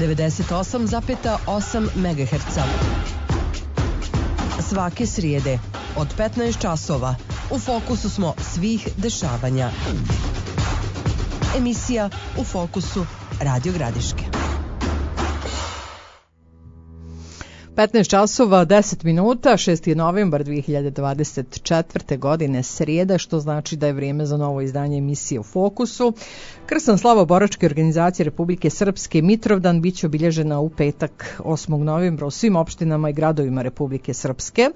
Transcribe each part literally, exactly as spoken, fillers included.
devedeset osam zarez osam megaherca. Svake srijede od petnaest časova u fokusu smo svih dešavanja. Emisija U fokusu Radio Gradiške. petnaest časova, deset minuta, šesti novembar dve hiljade dvadeset četvrte. godine, srijeda, što znači da je vrijeme za novo izdanje emisije U fokusu. Krsna slava boračke organizacije Republike Srpske Mitrovdan biće obilježena u petak osmog novembra u svim opštinama i gradovima Republike Srpske.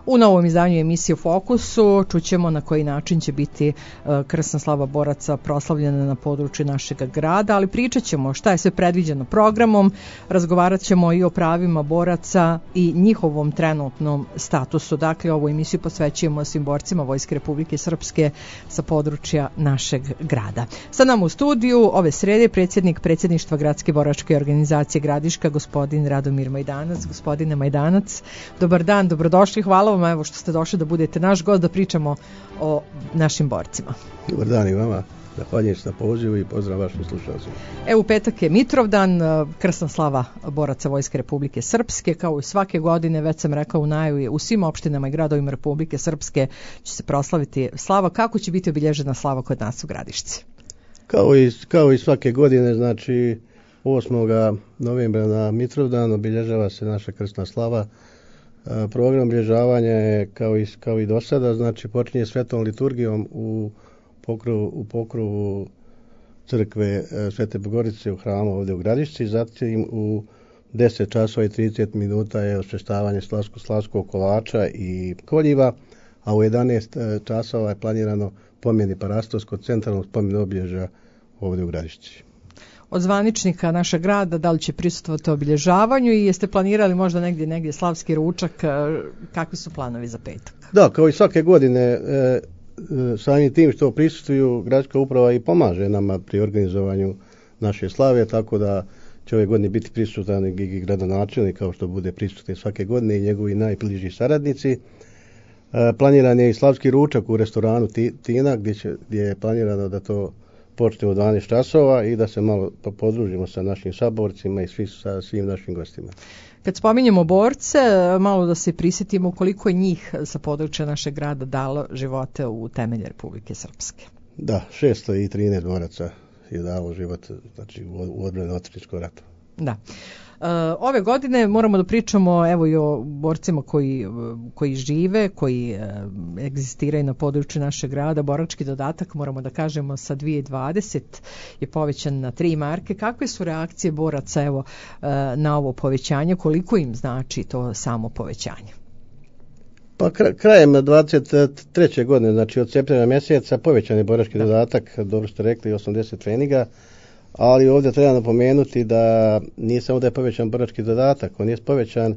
U novom izdanju emisije U fokusu čućemo na koji način će biti krsna slava boraca proslavljena na području našeg grada, ali pričat ćemo šta je sve predviđeno programom, razgovarat ćemo i o pravima boraca i njihovom trenutnom statusu. Dakle, ovu emisiju posvećujemo svim borcima Vojske Republike Srpske sa područja našeg grada. Sa nama u studiju ove srede predsjednik predsjedništva Gradske boračke organizacije Gradiška, gospodin Radomir Majdanac. Gospodine Majdanac, dobar dan, dobrodošli, hvala vam evo što ste došli da budete naš gost, da pričamo o našim borcima. Dobar dan i vama, zahvaljujem se na pozivu i pozdrav vašim slušalcima. Evo, u petak je Mitrovdan, krsna slava boraca Vojske Republike Srpske, kao i svake godine, već sam rekao u najavi, u svim opštinama i gradovima Republike Srpske će se proslaviti slava. Kako će biti obilježena slava kod nas u Gradišci? Kao i, kao i svake godine, znači osmog novembra na Mitrovdan obilježava se naša krsna slava. Program obilježavanja je kao i, kao i do sada, znači počinje svetom liturgijom u pokrovu, u pokrovu crkve Svete Bogorice u hramu ovdje u Gradišci, zatim u deset časova i trideset minuta je osvještavanje slavsko, slavskog kolača i koljiva, a u jedanaest časova je planirano pomjeni parastovskog centralnog spomen obilježja ovdje u Gradišci. Od zvaničnika našeg grada, da li će prisustvovati obilježavanju i jeste planirali možda negdje negdje slavski ručak, kakvi su planovi za petak? Da, kao i svake godine, e, samim tim što prisustvuju gradska uprava i pomaže nama pri organizovanju naše slave, tako da će ove godine biti prisutan i gradonačelnik, kao što bude prisutan svake godine, i njegovi najbliži saradnici. E, planiran je i slavski ručak u restoranu Tina, gdje, će, gdje je planirano da to počne u dvanaest časova i da se malo podružimo sa našim saborcima i svi, sa svim našim gostima. Kad spominjemo borce, malo da se prisjetimo koliko je njih sa područja našeg grada dalo živote u temelje Republike Srpske. Da, šesto trinaest boraca je dalo život, znači, u odbrani otadžbinskog rata. Da. Ove godine moramo da pričamo evo i o borcima koji, koji žive, koji egzistiraju na području našeg grada. Borački dodatak, moramo da kažemo, sa dvije hiljade dvadeset je povećan na tri marke. Kakve su reakcije boraca evo na ovo povećanje? Koliko im znači to samo povećanje? Pa krajem dvadeset treće godine, znači od septembra mjeseca, povećan je borački dodatak, dobro ste rekli, osamdeset treninga. Ali ovdje treba napomenuti da nije samo da je povećan borački dodatak, on je povećan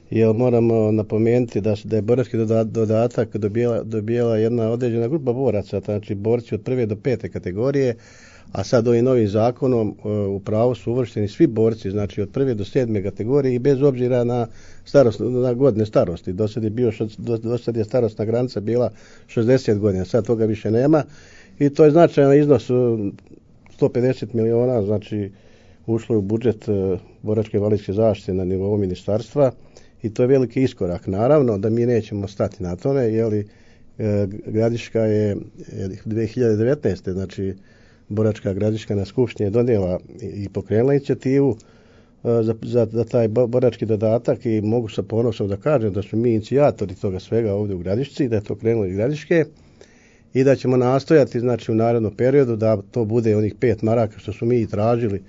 jer moramo napomenuti da, da je borački dodatak dobijela, dobijela jedna određena grupa boraca, znači borci od prve do pete kategorije, a sad ovim novim zakonom u pravo su uvršteni svi borci, znači od prve do sedme kategorije i bez obzira na, starost, na godine starosti. Do sad je, bio, do, do sad je starostna granica bila šezdeset godina, sad toga više nema i to je značajan iznos sto pedeset miliona, znači ušlo je u budžet uh, boračke invalidske zaštite na nivou ministarstva i to je veliki iskorak. Naravno da mi nećemo stati na tome, jer uh, Gradiška je dvije hiljade devetnaeste. znači boračka Gradiška na skupštini je donijela i, i pokrenula inicijativu uh, za, za, za taj borački dodatak i mogu sa ponosom da kažem da su mi inicijatori toga svega ovdje u Gradišci, da je to krenulo iz Gradiške i da ćemo nastojati, znači, u narednom periodu da to bude onih pet maraka što su mi i tražili,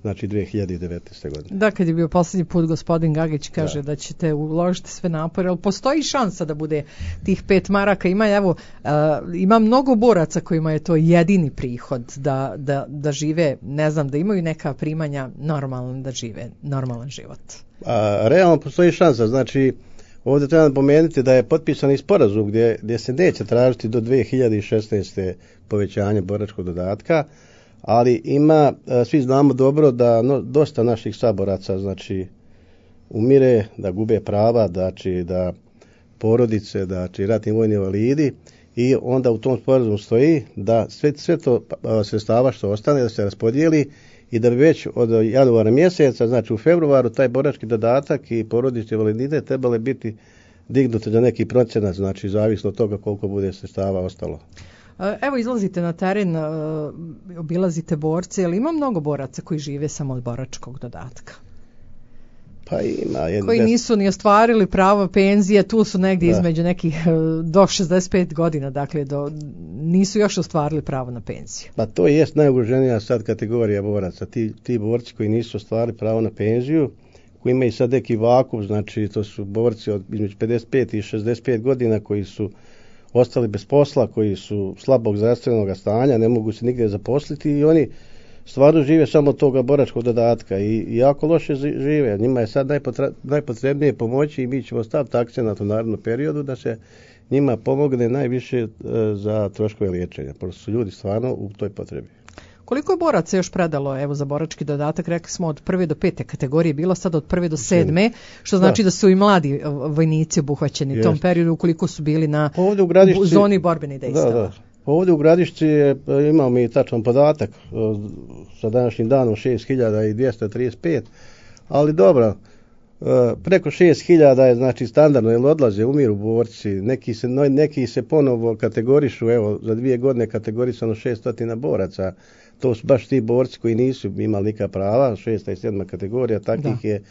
znači dvije hiljade devetnaeste. godine. Da, kad je bio posljednji put gospodin Gagić kaže da, da ćete uložiti sve napore, ali postoji šansa da bude tih pet maraka. Ima, evo, uh, ima mnogo boraca kojima je to jedini prihod da, da, da žive, ne znam, da imaju neka primanja normalno, da žive normalan život. A, realno postoji šansa, znači ovdje treba napomenuti da je potpisan i sporazum gdje, gdje se neće tražiti do dvije hiljade šesnaeste. povećanje boračkog dodatka, ali ima, svi znamo dobro da no, dosta naših saboraca, znači, umire, da gube prava, znači, da porodice, znači, ratni vojni invalidi, i onda u tom sporazumu stoji da sve, sve to sredstava što ostane da se raspodijeli i da bi već od januara mjeseca, znači u februaru, taj borački dodatak i porodični invaliditet trebali biti dignuti za neki procenat, znači zavisno od toga koliko bude sredstava ostalo. Evo, izlazite na teren, obilazite borce, ali ima mnogo boraca koji žive samo od boračkog dodatka? Pa ima. Jedan koji nisu ni ostvarili pravo penzije, tu su negdje da. između nekih do šezdeset pet godina, dakle do, nisu još ostvarili pravo na penziju. Pa to jest najugroženija sad kategorija boraca. Ti, ti borci koji nisu ostvarili pravo na penziju, koji imaju sad neki vakuum, znači to su borci od između pedeset pet i šezdeset pet godina koji su ostali bez posla, koji su slabog zdravstvenog stanja, ne mogu se nigdje zaposliti i oni stvarno žive samo od toga boračkog dodatka i jako loše žive. Njima je sad najpotra, najpotrebnije pomoći i mi ćemo staviti akcenat u narednom periodu da se njima pomogne najviše za troškove liječenja. Prosto su ljudi stvarno u toj potrebi. Koliko je boraca još predalo evo za borački dodatak? Rekli smo od prve do pete kategorije, bilo sad od prve do sedme, što znači da, da su i mladi vojnici obuhvaćeni u tom periodu ukoliko su bili na ovdje u Gradišci, zoni borbenih dejstava. Da, da. Ovdje u Gradišci je, imamo mi tačan podatak sa današnjim danom šest hiljada dvjesto trideset pet, ali dobro, preko šest hiljada je znači standardno, jer odlaze, umiru borci, neki se, neki se ponovo kategorišu, evo za dvije godine kategorisano šesto boraca, to su baš ti borci koji nisu imali nikakva prava, šesta i sedma kategorija, takvih da. je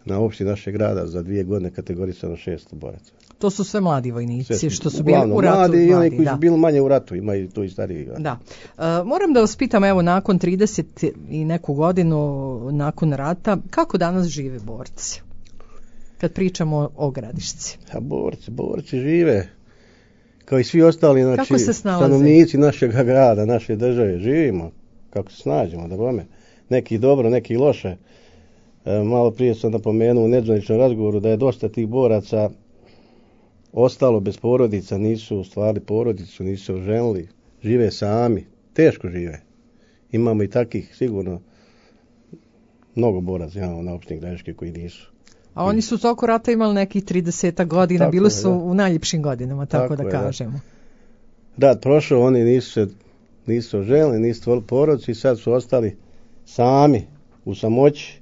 na opštini našeg grada za dvije godine kategorisano šesto boraca. To su sve mladi vojnici sve, što su uglavnom, bili u ratu. Mladi i oni koji da. su bili manje u ratu, imaju to i stariji. Da. E, moram da vas pitam, evo, nakon trideset i neku godinu nakon rata, kako danas žive borci? Kad pričamo o Gradišci. A borci, borci žive kao i svi ostali, znači, kako se snalaze? Stanovnici našeg grada, naše države, živimo kako se snađemo, da bome. Neki dobro, neki loše. E, malo prije sam napomenuo u nedzvaničnom razgovoru da je dosta tih boraca ostalo bez porodica, nisu stvarali porodicu, nisu oženili, žive sami, teško žive. Imamo i takih sigurno mnogo boraca imamo na opštini Gradiške koji nisu. A oni su toko rata imali nekih trideset godina, tako bili su je, u najljepšim godinama, tako, tako da je, kažemo. Da. Rat prošao, oni nisu se nisu oženili, nisu stvorili porodicu i sad su ostali sami u samoći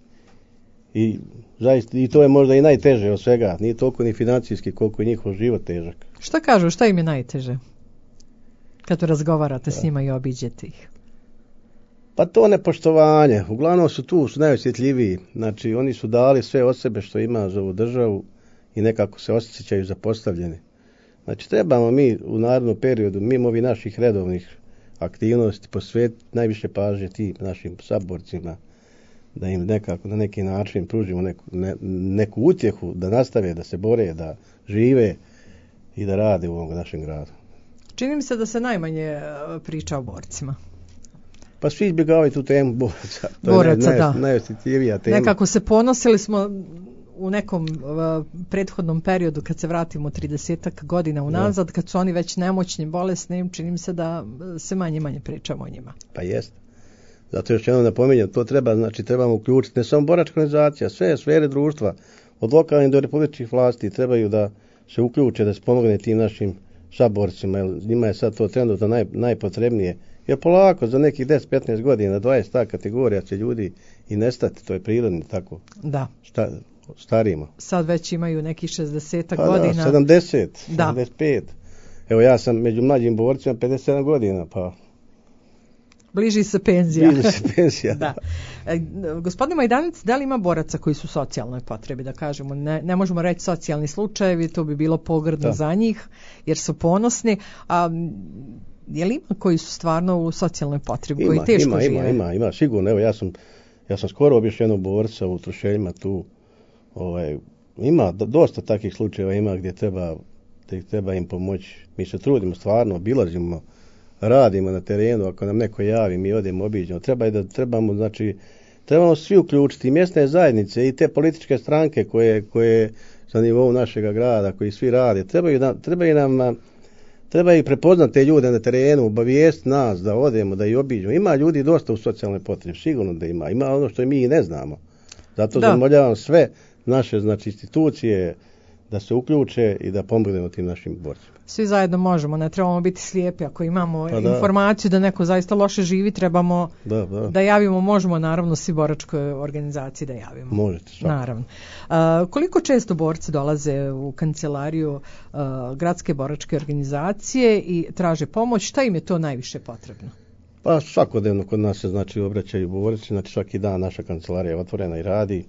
i zaista, i to je možda i najteže od svega, nije toliko ni financijski koliko je njihov život težak. Šta kažu, šta im je najteže kad razgovarate da. s njima i obiđete ih? Pa to nepoštovanje, uglavnom su tu, su najosjetljiviji, znači oni su dali sve od sebe što ima za ovu državu i nekako se osjećaju zapostavljeni. Znači trebamo mi u narednom periodu, mimo ovih naših redovnih aktivnosti, posvetiti najviše pažnje tim našim saborcima, da im nekako na neki način pružimo neku, ne, neku utjehu, da nastave, da se bore, da žive i da rade u ovom našem gradu. Čini mi se da se najmanje priča o borcima. Pa svi izbjegavaju tu temu boraca. To boraca, je naj, da. Najosjetljivija tema. Nekako se ponosili smo u nekom uh, prethodnom periodu kad se vratimo tridesetak godina unazad, da. kad su oni već nemoćni, bolesni, čini mi se da se manje manje pričamo o njima. Pa jest. Zato još jednom napominjem, to treba, znači trebamo uključiti ne samo boračka organizacija, sve sfere društva, od lokalnih do republičkih vlasti trebaju da se uključe, da se pomogne tim našim saborcima, jer njima je sad to trenutno naj, najpotrebnije. Jer polako, za nekih deset do petnaest godina, dvadeset ta kategorija će ljudi i nestati, to je prirodno tako. Da. Šta, starimo. Sad već imaju nekih šezdeset pa godina. Da, sedamdeset, da. sedamdeset pet. Evo ja sam među mlađim borcima pedeset sedam godina, pa... Bliži se penzija. Bliži se penzija. Da. E, gospodine Majdanac, da li ima boraca koji su socijalnoj potrebi, da kažemo, ne, ne možemo reći socijalni slučajevi, to bi bilo pogrdno da. za njih, jer su ponosni, a je li ima koji su stvarno u socijalnoj potrebi, ima, koji teško ima, žive? Ima, ima, ima, sigurno. Evo, ja sam, ja sam skoro obišao jednog borca u Trušeljima tu. Ovaj, ima dosta takvih slučajeva, ima gdje treba, gdje treba im pomoći. Mi se trudimo stvarno, obilazimo, radimo na terenu, ako nam neko javi, mi odemo, obiđemo. Treba i da trebamo, znači, trebamo svi uključiti, i mjesne zajednice i te političke stranke koje, koje sa nivou našega grada, koji svi rade. Trebaju nam, trebaju nam Treba i prepoznati te ljude na terenu, obavijesti nas da odemo, da ih obiđemo. Ima ljudi dosta u socijalnoj potrebi, sigurno da ima. Ima ono što mi i ne znamo. Zato zamoljavam sve naše znači institucije da se uključe i da pomognemo tim našim borcima. Svi zajedno možemo, ne trebamo biti slijepi. Ako imamo pa da. informaciju da neko zaista loše živi, trebamo da, da. da javimo, možemo naravno svi boračkoj organizaciji da javimo. Možete, svakako. Naravno. A, koliko često borci dolaze u kancelariju a, gradske boračke organizacije i traže pomoć? Šta im je to najviše potrebno? Pa svakodnevno kod nas se znači obraćaju borci, znači svaki dan naša kancelarija je otvorena i radi.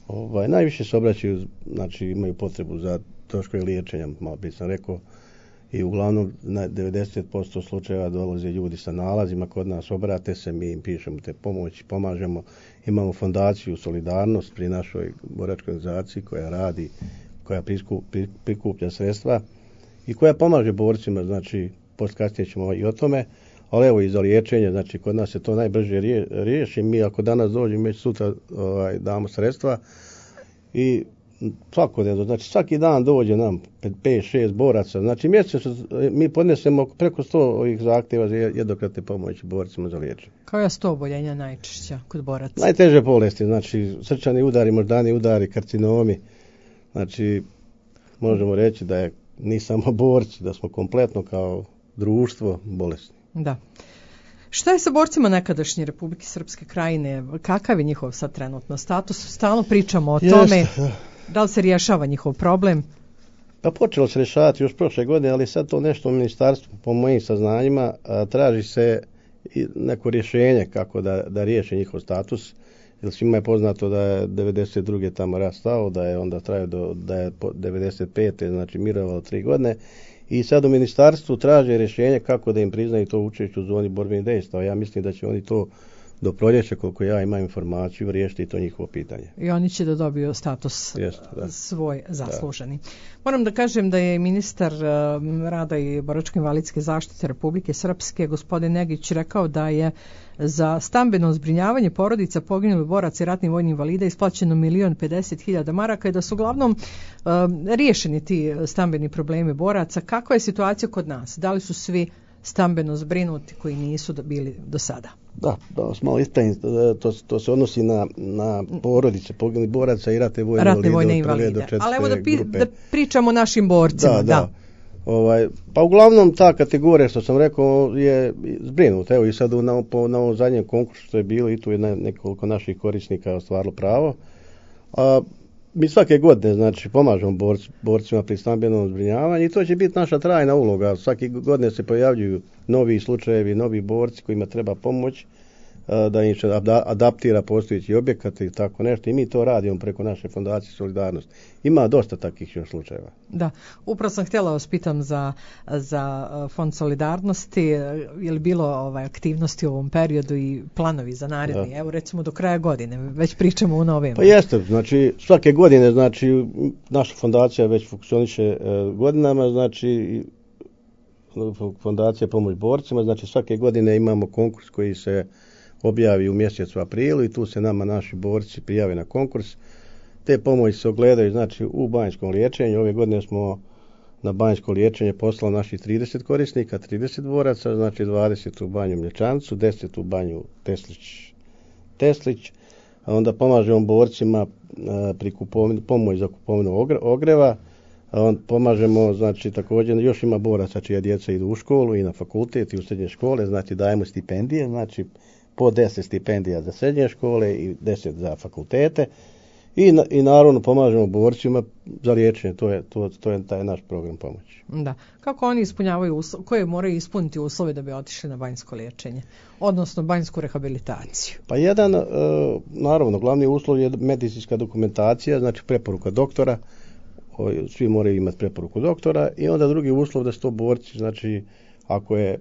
Ovaj, najviše se obraćaju, znači imaju potrebu za troškove liječenja, malo prije sam rekao, i uglavnom na devedeset posto slučajeva dolaze ljudi sa nalazima kod nas, obrate se, mi im pišemo te pomoći, pomažemo. Imamo fondaciju Solidarnost pri našoj boračkoj organizaciji koja radi, koja prikuplja sredstva i koja pomaže borcima, znači postkasnije ćemo i o tome, ali evo i za liječenje, znači kod nas se to najbrže rije, riješi. Mi ako danas dođemo, već sutra ovaj, damo sredstva i svakodnevno, znači svaki dan dođe nam pet šest boraca, znači mjesečno mi podnesemo preko sto ovih zahtjeva za jednokratne pomoći borcima za liječenje. Koja su to oboljenja najčešća kod boraca? Najteže bolesti, znači srčani udari, moždani udari, karcinomi, znači možemo reći da je ni samo borci, da smo kompletno kao društvo bolesni. Da. Šta je sa borcima nekadašnje Republike Srpske Krajine? Kakav je njihov sad trenutno status? Stalno pričamo o tome. Jeste. Da li se rješava njihov problem? Pa počelo se rješavati još prošle godine, ali sad to nešto u ministarstvu, po mojim saznanjima, a, traži se neko rješenje kako da, da riješi njihov status. Jer svima je poznato da je devedeset druge tamo rastao, da je onda trajao do da je devedeset pete znači mirovalo tri godine. I sad u ministarstvu traže rješenje kako da im priznaju to učešće u zoni borbenih dejstava. Ja mislim da će oni to do proljeća, koliko ja imam informaciju, riješiti to njihovo pitanje. I oni će da dobiju status Jeste, da. svoj zasluženi. Da. Moram da kažem da je ministar uh, rada i boračko-invalidske zaštite Republike Srpske, gospodin Negić, rekao da je za stambeno zbrinjavanje porodica poginulih boraca i ratnih vojnih invalida isplaćeno milion pedeset hiljada maraka i da su uglavnom uh, riješeni ti stambeni problemi boraca. Kakva je situacija kod nas? Da li su svi stambeno zbrinuti koji nisu bili do sada? Da, da vas malo ispravim, to, to se odnosi na, na porodice poginulih boraca i ratne vojne ratne invalide, invalide. Do četvrte Ali evo da, pi, grupe. da pričamo o našim borcima. Da, da. da. Ovaj, pa uglavnom ta kategorija što sam rekao je zbrinuta. Evo i sad na, po, na ovom zadnjem konkursu što je bilo i tu je nekoliko naših korisnika ostvarilo pravo. A, mi svake godine znači pomažemo borc, borcima pri stambenom zbrinjavanju i to će biti naša trajna uloga. Svake godine se pojavljuju novi slučajevi, novi borci kojima treba pomoć da im se adaptira postojeći objekat i tako nešto i mi to radimo preko naše fondacije Solidarnost. Ima dosta takvih još slučajeva. Da, upravo sam htjela vas pitam za, za Fond Solidarnosti, je li bilo ovaj, aktivnosti u ovom periodu i planovi za naredni, evo recimo do kraja godine, već pričamo u novembru. Pa jeste, znači svake godine, znači naša fondacija već funkcioniše e, godinama, znači fondacija pomoć borcima, znači svake godine imamo konkurs koji se objavi u mjesecu aprilu i tu se nama naši borci prijave na konkurs. Te pomoći se ogledaju znači u banjskom liječenju. Ove godine smo na banjsko liječenje poslali naših trideset korisnika, trideset boraca, znači dvadeset u banju Mlječancu, deset u banju Teslić, Teslić. A onda pomažemo borcima a, pri kupovini, pomoć za kupovinu ogreva. A on pomažemo, znači također još ima boraca čija djeca idu u školu i na fakultet i u srednje škole, znači dajemo stipendije, znači po deset stipendija za srednje škole i deset za fakultete i, na, i naravno pomažemo borcima za liječenje, to je, to, to je taj naš program pomoći. Da. Kako oni ispunjavaju uslove, koje moraju ispuniti uslove da bi otišli na banjsko liječenje, odnosno banjsku rehabilitaciju? Pa jedan, e, naravno, glavni uslov je medicinska dokumentacija, znači preporuka doktora, svi moraju imati preporuku doktora i onda drugi uslov da su to borci, znači ako je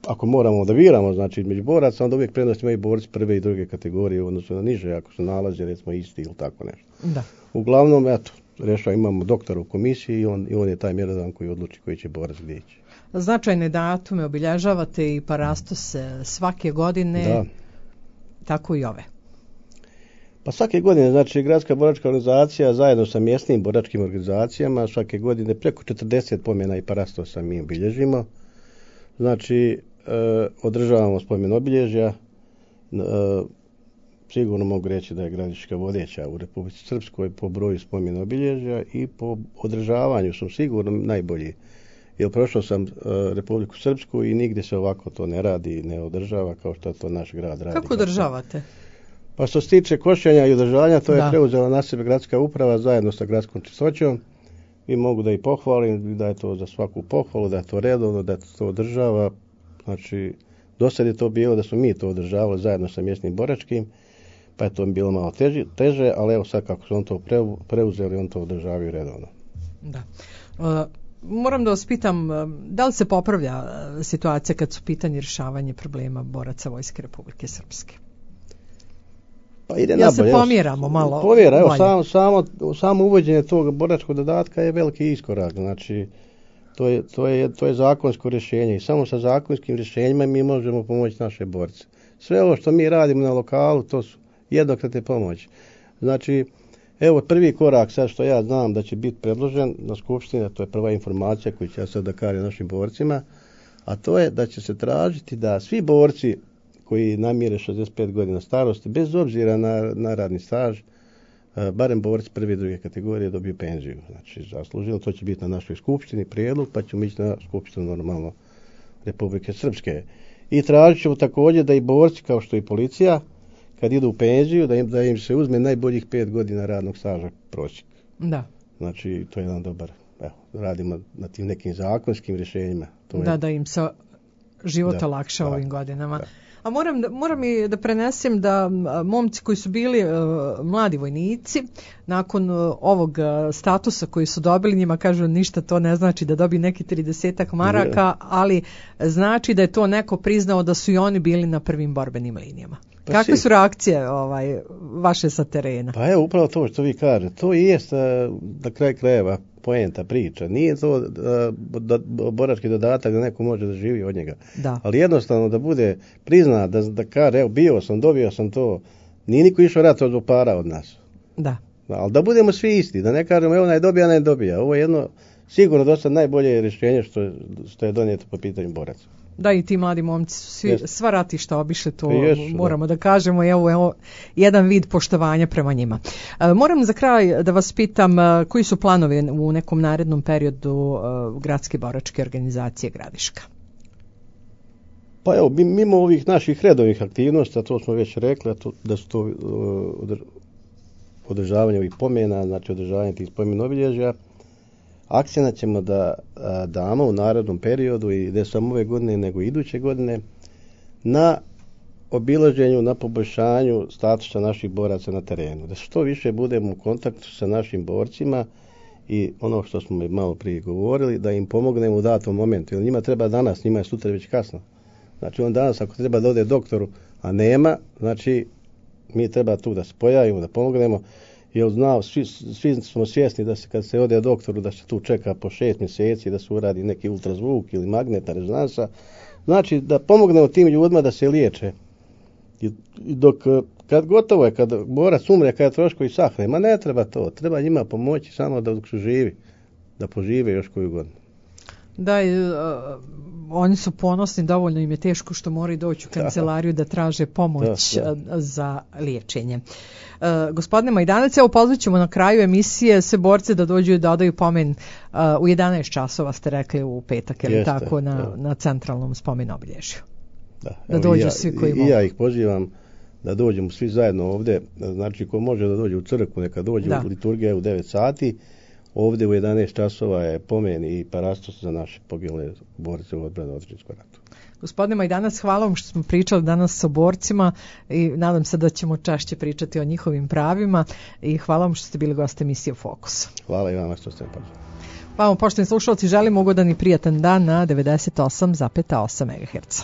ako moramo da biramo, znači između boraca, onda uvijek prednost imaju borci prve i druge kategorije u odnosu na niže, ako su nalaze recimo isti ili tako nešto. Da. Uglavnom, eto, rešava, imamo doktora u komisiji i on, i on je taj mjerodan koji odluči koji će borac gdje ići. Značajne datume obilježavate i parastose svake godine, da. Tako i ove. Pa svake godine, znači, Gradska boračka organizacija zajedno sa mjesnim boračkim organizacijama svake godine preko četrdeset pomjena i parastosa mi obilježimo. Znači, e, održavamo spomen obilježja, e, sigurno mogu reći da je Gradiška vodeća u Republici Srpskoj po broju spomen obilježja i po održavanju su sigurno najbolji. Jer prošao sam uh, Republiku Srpsku i nigdje se ovako to ne radi, ne održava kao što to naš grad radi. Kako održavate? Pa što se tiče košenja i održavanja, to da. je preuzela na sebe gradska uprava zajedno sa gradskom čistoćom. I mogu da i pohvalim, da je to za svaku pohvalu, da je to redovno, da to održava. Znači, do sad je to bilo da smo mi to održavali zajedno sa mjesnim boračkim, pa je to bilo malo teži, teže, ali evo sad kako su on to preuzeli, on to održavaju redovno. Da. Uh, moram da vas pitam, da li se popravlja situacija kad su pitanje rješavanje problema boraca Vojske Republike Srpske? Pa ide ja nabolje, se pomjeramo malo. Pomjera, evo, samo, samo, samo uvođenje tog boračkog dodatka je veliki iskorak. Znači, to je, to je, to je zakonsko rješenje i samo sa zakonskim rješenjima mi možemo pomoći naše borce. Sve ovo što mi radimo na lokalu, to su jednokratne pomoći. Znači, evo prvi korak sad što ja znam da će biti predložen na skupštini, to je prva informacija koju ću ja sad da kažem našim borcima, a to je da će se tražiti da svi borci koji namire šezdeset pet godina starosti, bez obzira na, na radni staž, barem borci prve i druge kategorije dobiju penziju. Znači, zasluženo, to će biti na našoj skupštini prijedlog, pa ćemo ići na skupštinu normalno Republike Srpske. I tražit ćemo također da i borci, kao što i policija, kad idu u penziju, da im, da im se uzme najboljih pet godina radnog staža prosjek. Da. Znači, to je jedan dobar, evo, radimo na tim nekim zakonskim rješenjima. To da, je, da im se život da, olakša da, ovim godinama. Da. A moram, moram i da prenesem da momci koji su bili uh, mladi vojnici, nakon uh, ovog uh, statusa koji su dobili, njima kažu ništa to ne znači da dobi neki tridesetak maraka, ali znači da je to neko priznao da su i oni bili na prvim borbenim linijama. Pa kakve si. su reakcije ovaj, vaše sa terena? Pa evo, upravo to što vi kažete. To i jest na kraj krajeva poenta priča. Nije to da, borački dodatak da neko može da živi od njega. Da. Ali jednostavno da bude prizna, da, da kaže, evo, bio sam, dobio sam to. Nije niko išao rat od para od nas. Da. Da. Ali da budemo svi isti, da ne kažemo, evo, naj dobija, naj dobija. Ovo je jedno, sigurno dosta najbolje rješenje što, što je donijeto po pitanju boraca. Da, i ti mladi momci su svi, yes. sva ratišta obišli, to yes, moramo da. da kažemo, evo, evo jedan vid poštovanja prema njima. E, moram za kraj da vas pitam e, koji su planovi u nekom narednom periodu e, gradske boračke organizacije Gradiška? Pa evo, mimo ovih naših redovnih aktivnosti, a to smo već rekli, to, da su to uh, održavanje ovih pomena, znači održavanje tih spomen obilježja, akcijna ćemo da a, damo u narednom periodu i ne samo ove godine nego i iduće godine na obilaženju, na poboljšanju statusa naših boraca na terenu. Da što više budemo u kontaktu sa našim borcima i ono što smo malo prije govorili, da im pomognemo u datom momentu. Jer njima treba danas, njima je sutra već kasno. Znači on danas ako treba da ode doktoru, a nema, znači mi treba tu da se pojavimo, da pomognemo. Jer znao, svi, svi smo svjesni da se kad se ode doktoru da se tu čeka po šest mjeseci da se uradi neki ultrazvuk ili magnetna rezonansa. Znači da pomognemo tim ljudima da se liječe. I, i dok kad gotovo je, kad borac umre, kad troškovi sahne, ma ne treba to. Treba njima pomoći samo da dok su živi, da požive još koju godinu. Da, i, uh, oni su ponosni, dovoljno im je teško što moraju doći u kancelariju da traže pomoć da, da. za liječenje. Uh, gospodine Majdanac, evo pozvat ćemo na kraju emisije sve borce da dođu i da odaju pomen uh, u jedanaest časova, ste rekli u petak, ili Jeste, tako, na, da. na centralnom spomen obilježju. Da, da dođu ja, svi koji i, mogu. I ja ih pozivam da dođemo svi zajedno ovdje, znači ko može da dođe u crkvu, neka dođe da. u liturgiju u devet sati. Ovdje u jedanaest časova je pomen i parastos za naše poginule borce u odbrani od Otadžbinskog rata. Gospodine Majdanac, hvala vam što smo pričali danas sa borcima i nadam se da ćemo češće pričati o njihovim pravima i hvala vam što ste bili gost emisije Fokus. Hvala i vama što ste me pozvali. Hvala vam, poštovani slušalci, želim ugodan i prijatan dan na devedeset osam zarez osam megaherca.